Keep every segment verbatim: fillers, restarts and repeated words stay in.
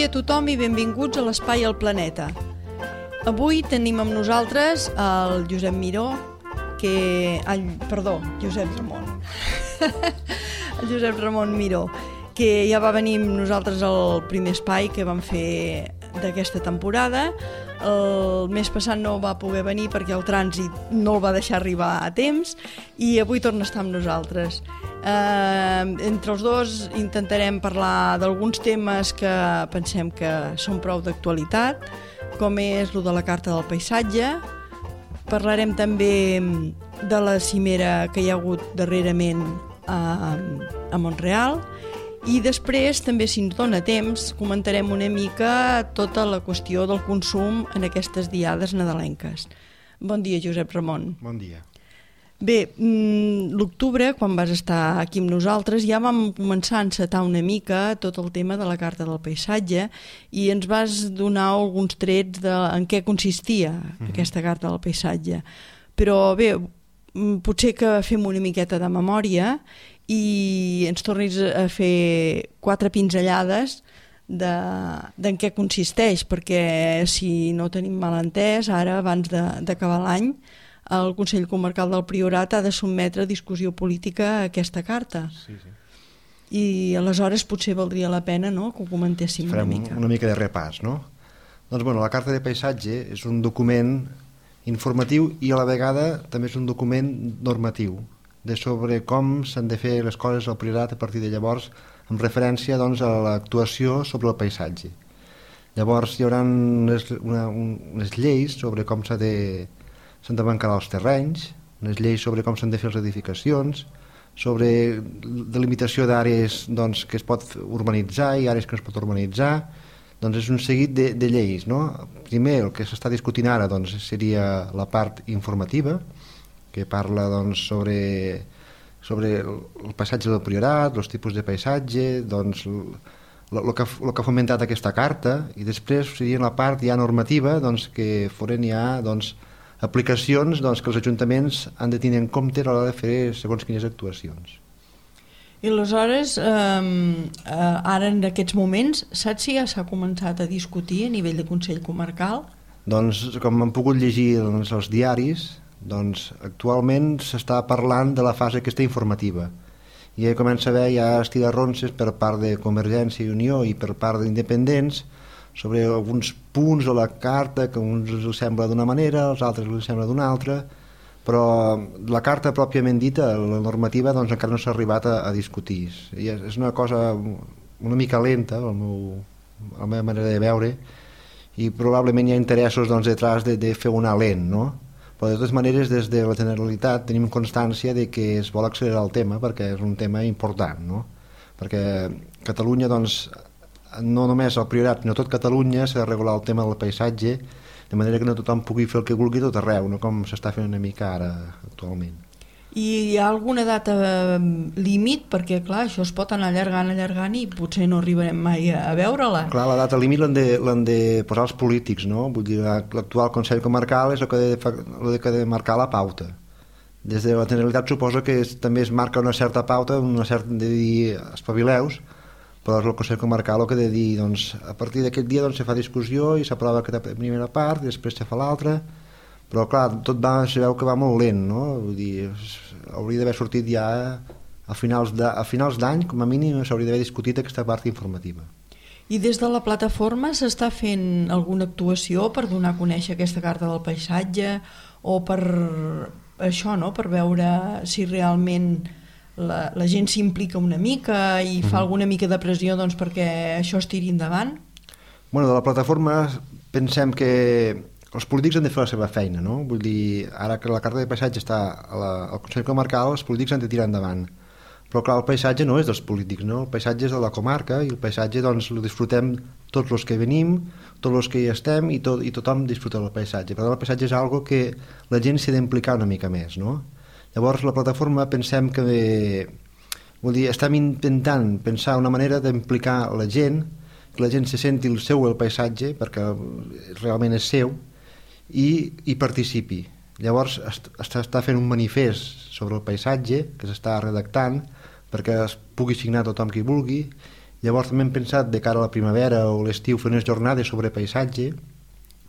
dia a tothom i benvinguts a l'Espai al Planeta. Avui tenim amb nosaltres el Josep Miró, que... Ai, perdó, Josep Ramon. El Josep Ramon Miró, que ja va venir amb nosaltres al primer espai que vam fer d'aquesta temporada. El mes passat no va poder venir perquè el trànsit no el va deixar arribar a temps i avui torna a estar amb nosaltres. Eh, entre els dos intentarem parlar d'alguns temes que pensem que són prou d'actualitat, com és lo de la Carta del Paisatge. Parlarem també de la cimera que hi ha hagut darrerament a, a Montreal. I després, també si ens dona temps, comentarem una mica tota la qüestió del consum en aquestes diades nadalenques. Bon dia, Josep Ramon. Bon dia. Bé, l'octubre, quan vas estar aquí amb nosaltres, ja vam començar a encetar una mica tot el tema de la Carta del Paisatge i ens vas donar alguns trets de en què consistia mm-hmm. aquesta Carta del Paisatge. Però bé, potser que fem una miqueta de memòria i ens tornis a fer quatre pinzellades de, d'en què consisteix, perquè si no tenim mal entès, ara abans de, d'acabar l'any, el Consell Comarcal del Priorat ha de sotmetre a discussió política a aquesta carta. Sí, sí. I aleshores potser valdria la pena, no?, que ho comentéssim Farem una mica. una mica de repàs, no? Doncs, bueno, la Carta de Paisatge és un document informatiu i a la vegada també és un document normatiu de sobre com s'han de fer les coses al Priorat a partir de llavors, amb referència doncs, a l'actuació sobre el paisatge. Llavors hi haurà unes, una, unes lleis sobre com s'ha de, s'han de bancar els terrenys, unes lleis sobre com s'han de fer les edificacions, sobre delimitació d'àrees doncs, que es pot urbanitzar i àrees que no es pot urbanitzar. Doncs és un seguit de, de lleis, no? Primer, el que s'està discutint ara doncs, seria la part informativa, que parla doncs, sobre, sobre el paisatge del Priorat, els tipus de paisatge, doncs, el que, el que ha fomentat aquesta carta, i després seria la part ja normativa doncs, que foren ja doncs, aplicacions doncs, que els ajuntaments han de tenir en compte a l'hora de fer segons quines actuacions. I aleshores, eh, ara en aquests moments, saps si ja s'ha començat a discutir a nivell de Consell Comarcal? Doncs, com hem pogut llegir doncs, als diaris, doncs, actualment s'està parlant de la fase aquesta informativa. I ja comença a haver ja estigarronses per part de Convergència i Unió i per part d'independents sobre alguns punts de la carta que a uns els sembla d'una manera, als altres els sembla d'una altra, però la carta pròpiament dita, la normativa, doncs encara no s'ha arribat a, a discutir. I és una cosa una mica lenta, el meu, la meva manera de veure, i probablement hi ha interessos doncs, detrás de, de fer una lent, no? Però de totes maneres, des de la Generalitat tenim constància de que es vol accelerar el tema perquè és un tema important, no? Perquè Catalunya, doncs, no només el Priorat, sinó tot Catalunya s'ha de regular el tema del paisatge de manera que no tothom pugui fer el que vulgui tot arreu, no com s'està fent una mica ara actualment. I hi ha alguna data límit? Perquè, clar, això es pot anar allargant, allargant i potser no arribarem mai a veure-la. Clar, la data límit l'han de, l'han de posar els polítics, no? Vull dir, l'actual Consell Comarcal és el que ha de, el que ha de marcar la pauta. Des de la Generalitat suposo que es, també es marca una certa pauta, una certa de dir espavileus, però és el Consell Comarcal el que ha de dir, doncs, a partir d'aquest dia doncs, se fa discussió i s'aprova aquesta primera part i després se fa l'altra. Però clar, tot va, se veu que va molt lent, no? Vull dir, hauria d'haver sortit ja a finals, de, a finals d'any, com a mínim s'hauria d'haver discutit aquesta part informativa. I des de la plataforma s'està fent alguna actuació per donar a conèixer aquesta Carta del Paisatge o per això, no? Per veure si realment la, la gent s'implica una mica i fa mm-hmm. alguna mica de pressió doncs, perquè això es tiri endavant? Bueno, de la plataforma pensem que els polítics han de fer la seva feina, no? Vull dir, ara que la Carta de Paisatge està a la, al Consell Comarcal, els polítics han de tirar endavant. Però clar, el paisatge no és dels polítics, no? El paisatge és de la comarca i el paisatge doncs el disfrutem tots els que venim, tots els que hi estem i, tot, i tothom disfruta del paisatge. Per tant, el paisatge és algo que la gent s'ha d'implicar una mica més, no? Llavors, la plataforma pensem que... Vull dir, estem intentant pensar una manera d'implicar la gent, que la gent se senti el seu el paisatge, perquè realment és seu, i, i participi. Llavors està fent un manifest sobre el paisatge que s'està redactant perquè es pugui signar tothom qui vulgui Llavors també hem pensat de cara a la primavera o l'estiu fer unes jornades sobre paisatge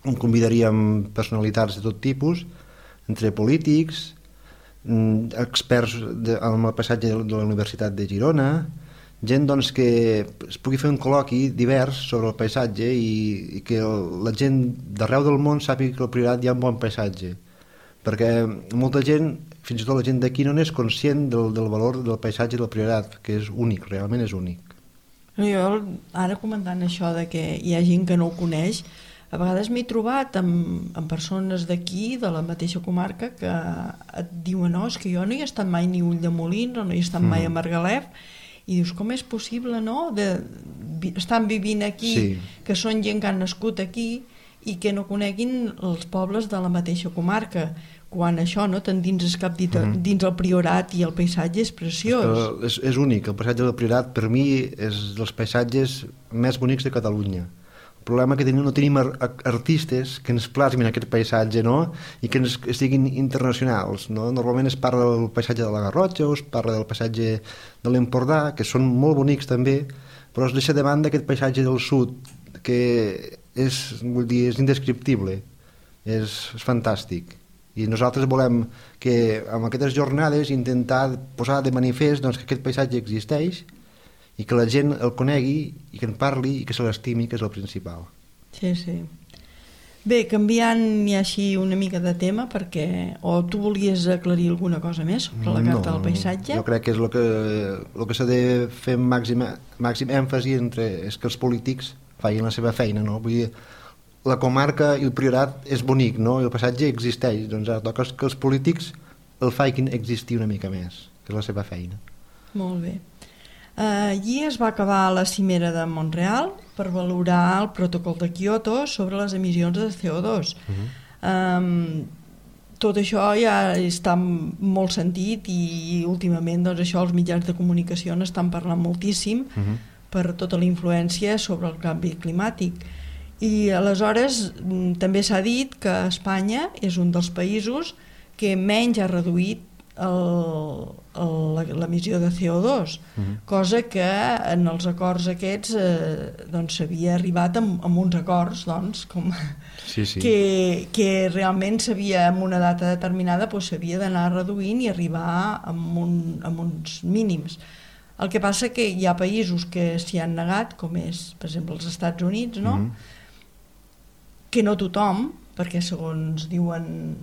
on convidaríem personalitats de tot tipus, entre polítics, experts de, en el paisatge de la Universitat de Girona, gent doncs, que es pugui fer un col·loqui divers sobre el paisatge i, i que la gent d'arreu del món sàpiga que al Priorat hi ha un bon paisatge, perquè molta gent, fins i tot la gent d'aquí, no n'és conscient del, del valor del paisatge del Priorat, que és únic, realment és únic. Jo, ara comentant això de que hi ha gent que no ho coneix, a vegades m'he trobat amb, amb persones d'aquí, de la mateixa comarca, que et diuen, no, és que jo no hi he estat mai ni a Ulldemolins o no hi he estat mm. mai a Margalef, i dius, com és possible, no?, de, estan vivint aquí, sí. que són gent que han nascut aquí i que no coneguin els pobles de la mateixa comarca, quan això, no?, t'endinses cap dit, mm. dins el Priorat i el paisatge és preciós. És, és únic, el paisatge del Priorat per mi és dels paisatges més bonics de Catalunya. El problema que tenim, no tenim artistes que ens plasmin aquest paisatge, no?, i que ens siguin internacionals, no? Normalment es parla del paisatge de la Garrotxa o es parla del paisatge de l'Empordà, que són molt bonics també, però es deixa de banda aquest paisatge del sud, que és, vull dir, és indescriptible, és, és fantàstic. I nosaltres volem que amb aquestes jornades intentar posar de manifest doncs, que aquest paisatge existeix i que la gent el conegui i que en parli i que se l'estimi, que és el principal. Sí, sí. Bé, canviant ja així una mica de tema, perquè o tu volies aclarir alguna cosa més sobre la carta no, del paisatge? Jo crec que és el que, el que s'ha de fer màxim, màxim èmfasi entre, és que els polítics facin la seva feina, no? Vull dir, la comarca i el Priorat és bonic, no? I el paisatge existeix, doncs ara toca que els polítics el facin existir una mica més, que és la seva feina. Molt bé. Uh, allí es va acabar la cimera de Montreal per valorar el protocol de Kyoto sobre les emissions de C O dos. Uh-huh. um, tot això ja està molt sentit i últimament doncs, això els mitjans de comunicació n'estan parlant moltíssim uh-huh. per tota la influència sobre el canvi climàtic. I aleshores també s'ha dit que Espanya és un dels països que menys ha reduït l'emissió de C O dos, uh-huh. cosa que en els acords aquests eh, doncs s'havia arribat amb, amb uns acords doncs, com sí, sí. Que, que realment s'havia, en una data determinada doncs, s'havia d'anar reduint i arribar amb, un, amb uns mínims. El que passa que hi ha països que s'hi han negat, com és per exemple els Estats Units, no? Uh-huh. Que no tothom, perquè segons diuen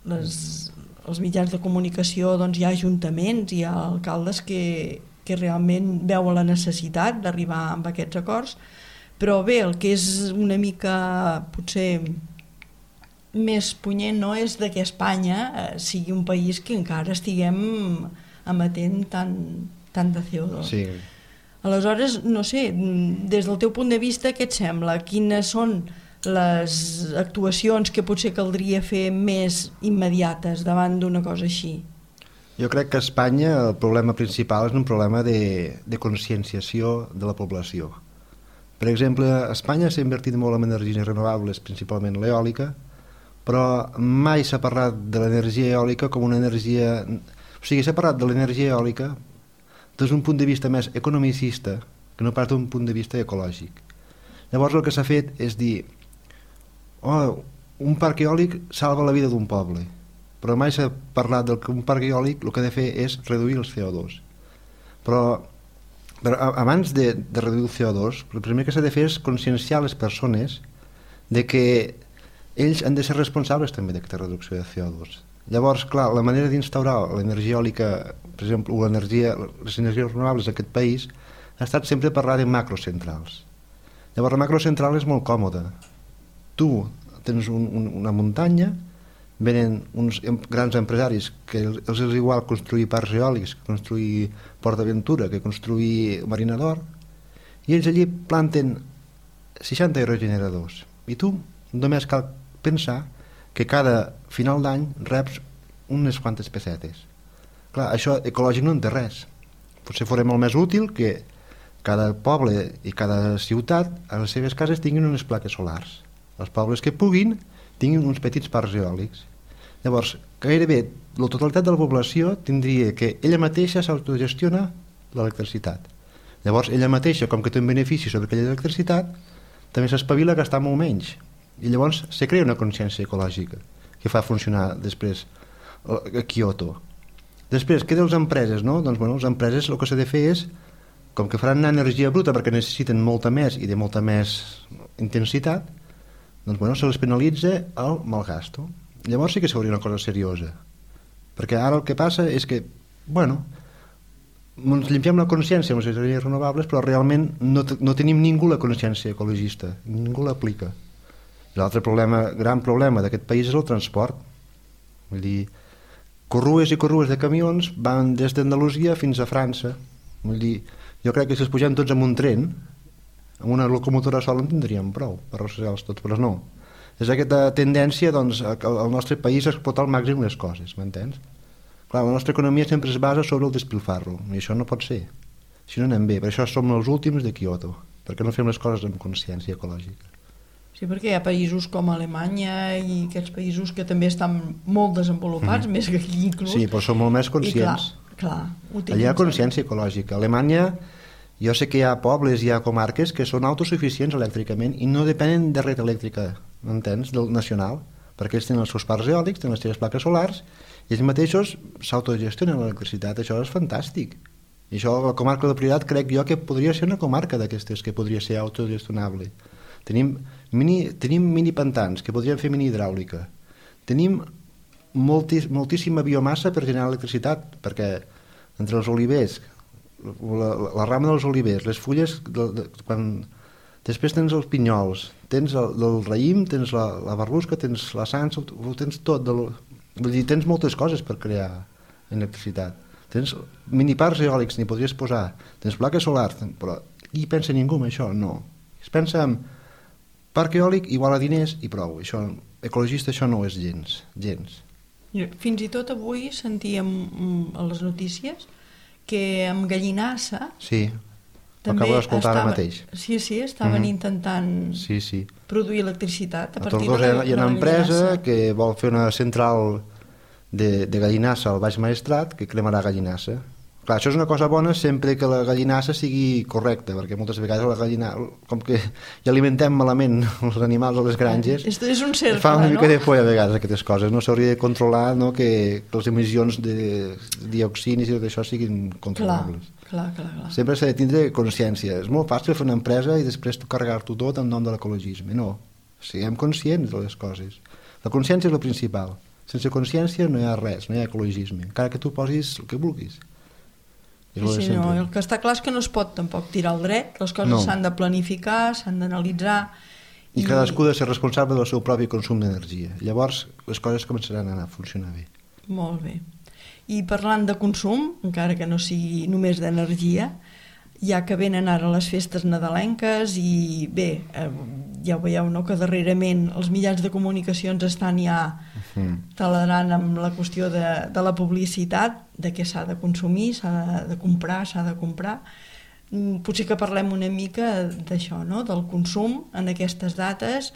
les els mitjans de comunicació, doncs hi ha ajuntaments, hi ha alcaldes que, que realment veuen la necessitat d'arribar amb aquests acords, però bé, el que és una mica potser més punyent no és de que Espanya eh, sigui un país que encara estiguem emetent tant, tant de C O dos. Sí. Aleshores, no sé, des del teu punt de vista, què et sembla? Quines són les actuacions que potser caldria fer més immediates davant d'una cosa així? Jo crec que a Espanya el problema principal és un problema de, de conscienciació de la població. Per exemple, a Espanya s'ha invertit molt en energies renovables, principalment l'eòlica, però mai s'ha parlat de l'energia eòlica com una energia... O sigui, s'ha parlat de l'energia eòlica des d'un punt de vista més economicista que no pas d'un punt de vista ecològic. Llavors el que s'ha fet és dir oh, un parc eòlic salva la vida d'un poble, però mai s'ha parlat del que un parc eòlic el que ha de fer és reduir el C O dos. Però, però abans de, de reduir el C O dos, el primer que s'ha de fer és conscienciar les persones de que ells han de ser responsables també d'aquesta reducció de C O dos. Llavors, clar, la manera d'instaurar l'energia eòlica, per exemple, o l'energia, les energies renovables d'aquest país, ha estat sempre parlar de macrocentrals. Llavors, la macrocentral és molt còmoda. Tu tens un, un, una muntanya, venen uns grans empresaris que els, els és igual construir parcs eòlics, que construir Port d'Aventura, que construir Marina d'Or, i ells allí planten seixanta aerogeneradors. I tu només cal pensar que cada final d'any reps unes quantes pessetes. Clar, això ecològic no en té res. Potser fora molt més útil que cada poble i cada ciutat a les seves cases tinguin unes plaques solars. Els pobles que puguin tinguin uns petits parcs eòlics. Llavors, gairebé la totalitat de la població tindria que ella mateixa s'autogestiona l'electricitat. Llavors ella mateixa, com que té un benefici sobre aquella electricitat, també s'espavila a gastar molt menys, i llavors se crea una consciència ecològica que fa funcionar després a Kyoto. Després, què de les empreses, no? Doncs bueno, les empreses el que s'ha de fer és, com que faran energia bruta perquè necessiten molta més i de molta més intensitat, doncs bueno, se les penalitza el malgasto. Llavors sí que s'hauria una cosa seriosa, perquè ara el que passa és que, bueno, ens limpiam la consciència amb les energies renovables, però realment no, no tenim ningú la consciència ecologista, ningú l'aplica. L'altre problema, gran problema d'aquest país és el transport. Vull dir, corrues i corrues de camions van des d'Andalusia fins a França. Vull dir, jo crec que si els pugem tots amb un tren, amb una locomotora sola en tindríem prou per arrossegar-los tots, però no. És aquesta tendència, doncs, al nostre país a explotar al màxim les coses, m'entens? Clar, la nostra economia sempre es basa sobre el despilfarro, i això no pot ser. Si no anem bé, per això som els últims de Kyoto, perquè no fem les coses amb consciència ecològica. Sí, perquè hi ha països com Alemanya i aquests països que també estan molt desenvolupats, mm. més que aquí inclús. Sí, però són molt més conscients. I clar, clar, allà hi ha consciència ecològica. A Alemanya, jo sé que hi ha pobles, hi ha comarques que són autosuficients elèctricament i no depenen de red elèctrica, m'entens, del nacional, perquè ells tenen els seus parcs eòlics, tenen les seves plaques solars, i ells mateixos s'autogestionen l'electricitat. Això és fantàstic. I això, la comarca del Priorat, crec jo que podria ser una comarca d'aquestes que podria ser autogestionable. Tenim mini, tenim mini pantans que podrien fer mini hidràulica. Tenim moltis, moltíssima biomassa per generar electricitat, perquè entre els olivers, la, la, la rama dels olivers, les fulles, de, de, quan, després tens els pinyols, tens el, el raïm, tens la, la barrusca, tens la sansa, ho tens tot. Del, vull dir, tens moltes coses per crear electricitat. Tens miniparcs eòlics, n'hi podries posar, tens plaques solars, però qui pensa ningú en això? No. Es pensa en parc eòlic igual a diners i prou. Això, ecologista això no és gens, gens. Fins i tot avui sentíem a les notícies que amb Gallinassa sí, també acabo d'escoltar ara mateix. Sí, sí, estaven mm-hmm. intentant sí, sí. produir electricitat a, a partir de la, hi ha una empresa que vol fer una central de, de Gallinassa al Baix Maestrat que cremarà Gallinassa. Clar, això és una cosa bona sempre que la gallinassa sigui correcta, perquè moltes vegades la gallina, com que ja alimentem malament els animals a les granges, és, és un cercle, fa una mica no? de por a vegades aquestes coses, no s'hauria de controlar, no? que, que les emissions de dioxinis i tot això siguin controlables. Clar, clar, clar, clar. Sempre s'ha de tindre consciència. És molt fàcil fer una empresa i després tu carregar-t'ho tot en nom de l'ecologisme. No, siguem conscients de les coses. La consciència és el principal. Sense consciència no hi ha res, no hi ha ecologisme, encara que tu posis el que vulguis. Sí, sí, no, el que està clar és que no es pot tampoc tirar al dret, les coses no. s'han de planificar, s'han d'analitzar. I, I cadascú ha de ser responsable del seu propi consum d'energia. Llavors les coses començaran a anar a funcionar bé. Molt bé. I parlant de consum, encara que no sigui només d'energia, ja que venen ara les festes nadalenques i bé, eh, ja ho veieu, no?, que darrerament els mitjans de comunicacions estan ja uh-huh. taladrant amb la qüestió de, de la publicitat, de què s'ha de consumir, s'ha de, de comprar, s'ha de comprar. Potser que parlem una mica d'això, no?, del consum en aquestes dates,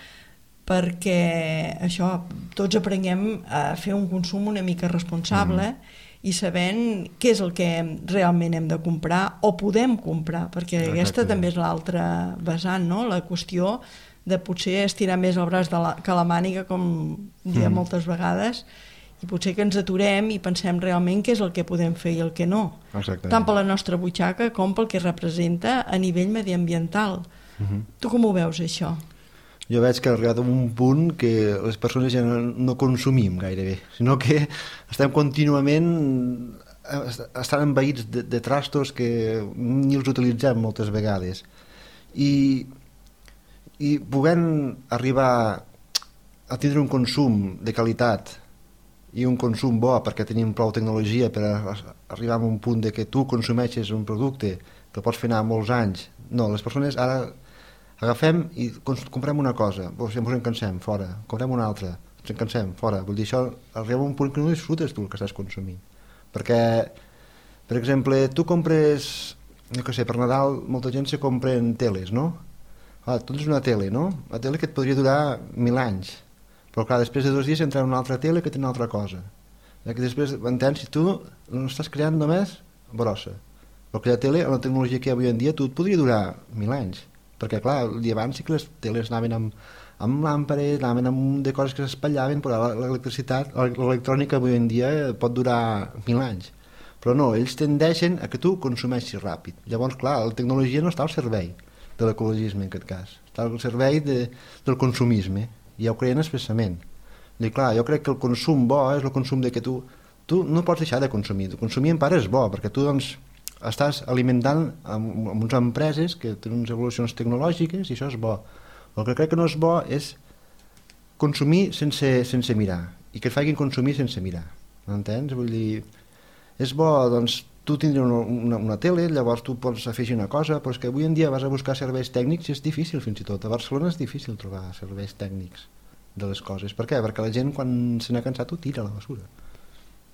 perquè això, tots aprenguem a fer un consum una mica responsable uh-huh. i sabent què és el que realment hem de comprar o podem comprar, perquè Exacte. Aquesta també és l'altra vessant, no?, la qüestió de potser estirar més el braç de la, que la màniga, com diem mm. moltes vegades, i potser que ens aturem i pensem realment què és el que podem fer i el que no. Exactament. Tant per la nostra butxaca com pel que representa a nivell mediambiental. Mm-hmm. Tu com ho veus, això? Jo veig que ha arribat a un punt que les persones ja no, no consumim gairebé, sinó que estem contínuament estan envaïts de, de trastos que ni els utilitzem moltes vegades. I, i podent arribar a tindre un consum de qualitat i un consum bo perquè tenim prou tecnologia per arribar a un punt de que tu consumeixes un producte que pots fer anar molts anys. No, les persones ara agafem i comprem una cosa, ens en cansem, fora, comprem una altra, ens en cansem, fora. Vull dir, això arriba a un punt que no disfrutes tu el que estàs consumint. Perquè, per exemple, tu compres, no sé, per Nadal molta gent se compren teles, no? Ah, tu tens una tele, no? Una tele que et podria durar mil anys, però clar, després de dos dies entra una altra tele que té una altra cosa. Que després, entens, si tu no estàs creant només brossa. Però aquella tele, amb la tecnologia que hi ha avui en dia, tu et podria durar mil anys. Perquè, clar, el dia abans sí que les teles anaven amb, amb làmpares, anaven amb un de coses que s'espallaven, però l'electricitat, l'electrònica avui en dia pot durar mil anys. Però no, ells tendeixen a que tu consumeixis ràpid. Llavors, clar, la tecnologia no està al servei de l'ecologisme, en aquest cas. Està al servei de, del consumisme. I ja ho creien expressament. I clar, jo crec que el consum bo és el consum de que tu, tu no pots deixar de consumir. Consumir en part és bo, perquè tu, doncs, estàs alimentant amb, amb unes empreses que tenen unes evolucions tecnològiques i això és bo. El que crec que no és bo és consumir sense, sense mirar i que et facin consumir sense mirar, m'entens? Vull dir, és bo, doncs, tu tindràs una, una, una tele, llavors tu pots afegir una cosa, però és que avui en dia vas a buscar serveis tècnics i és difícil fins i tot. A Barcelona és difícil trobar serveis tècnics de les coses. Per què? Perquè la gent quan se n'ha cansat ho tira a la basura.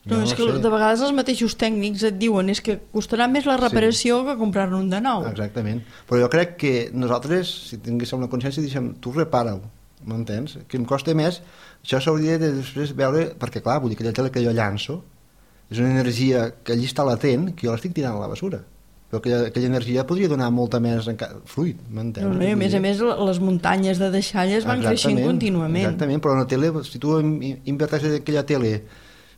No, no és que sé. De vegades els mateixos tècnics et diuen és que costarà més la reparació sí. que comprar-ne un de nou. Exactament. Però jo crec que nosaltres, si tinguéssim una consciència, diguéssim, tu repara-ho, m'entens? Que em costa més, això s'hauria de després veure, perquè clar, vull dir, aquella tele que jo llanço és una energia que allí està latent, que jo l'estic tirant a la basura. Però aquella, aquella energia podria donar molta més fruit, m'entens? No, no, I a més a més les muntanyes de deixalles van creixent contínuament. Exactament, però una tele, si tu inverteixes aquella tele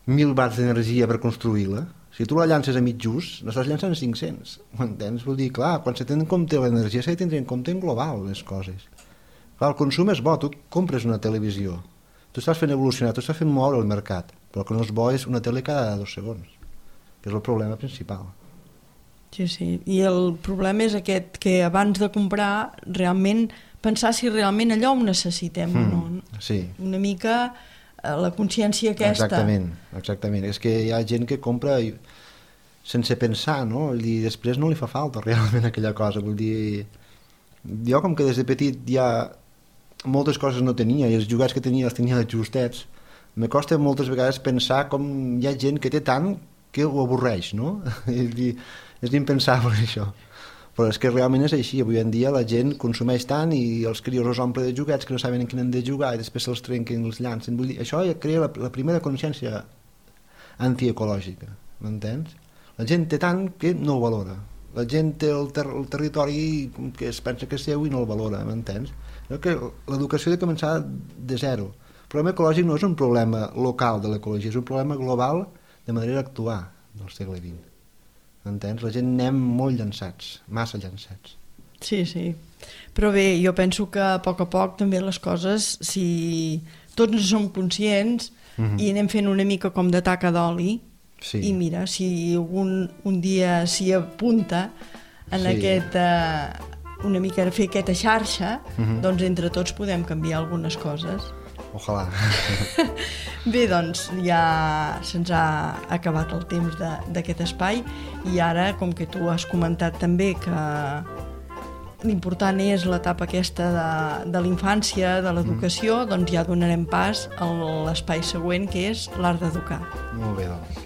mil watts d'energia per construir-la, si tu la llances a mig just, n'estàs llançant cinc-cents, m'entens? Vull dir, clar, quan se té en compte l'energia s'ha de tenir en compte en global les coses. Clar, el consum és bo, tu compres una televisió, tu estàs fent evolucionar, tu estàs fent moure el mercat, però el que no és bo és una tele cada dos segons, que és el problema principal. Sí, sí, i el problema és aquest, que abans de comprar realment pensar si realment allò ho necessitem mm, o no. Sí. Una mica la consciència aquesta. Exactament, exactament. És que hi ha gent que compra sense pensar, no? I després no li fa falta realment aquella cosa. Vull dir, jo com que des de petit ja moltes coses no tenia i els jugats que tenia els tenia justets, me costa moltes vegades pensar com hi ha gent que té tant que ho avorreix, no? És, és impensable això. Però és que realment és així, avui en dia la gent consumeix tant i els crios els omple de joguets que no saben en quin han de jugar i després se'ls trenquen i els llancen. Vull dir, això ja crea la, la primera consciència antiecològica, m'entens? La gent té tant que no ho valora. La gent té el, ter el territori que es pensa que és seu i no el valora, m'entens? L'educació ha de començar de zero. El problema ecològic no és un problema local de l'ecologia, és un problema global de manera d'actuar del segle vint. Entens? La gent anem molt llançats, massa llançats. Sí, sí. Però bé, jo penso que a poc a poc també les coses, si tots no som conscients mm-hmm. i anem fent una mica com de taca d'oli, sí. I mira, si un, un dia s'hi apunta en sí. aquest, uh, una mica fer aquesta xarxa, mm-hmm. doncs entre tots podem canviar algunes coses. Ojalà. Bé, doncs ja se'ns ha acabat el temps d'aquest espai i ara, com que tu has comentat també que l'important és l'etapa aquesta de, de la infància, de l'educació, mm. doncs ja donarem pas a l'espai següent, que és l'art d'educar. Molt bé, doncs.